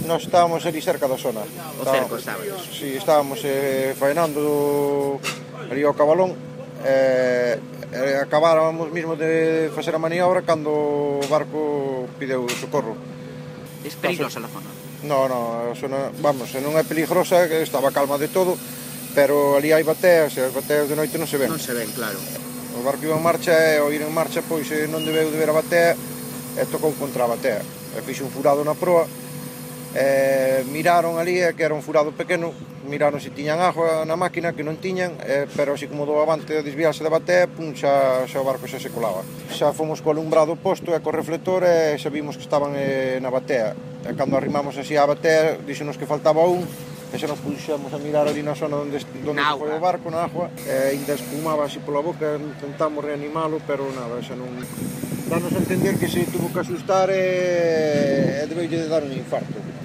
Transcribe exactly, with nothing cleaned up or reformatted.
Nós estábamos ali cerca da zona. O cerco estábamos. Si, estábamos eh, faenando ali ao Cabalón. Eh, eh, acabáramos mismo de facer a maniobra cando o barco pideu socorro. Es peligrosa a zona? No, no, zona, vamos, non é peligrosa, estaba calma de todo, pero ali hai bateas, e as bateas de noite non se ven. Non se ven, claro. O barco iba en marcha e ao ir en marcha, pois non debeu de ver a batea e tocou contra a batea. E fixe un furado na proa, e miraron ali, que era un furado pequeno, miraron se tiñan agua na máquina, que non tiñan, eh, pero así como do avante a desviarse da batea, pum, xa, xa o barco xa se colaba. Xa fomos co alumbrado posto e co reflector e xa vimos que estaban eh, na batea. E cando arrimamos así á batea, díxenos que faltaba un, e xa nos puxemos a mirar ali na zona onde, onde foi o barco, na agua, e ainda espumaba así pola boca, intentamos reanimalo, pero nada, xa non... Danos a entender que se tuvo que asustar e, e debeulle de dar un infarto.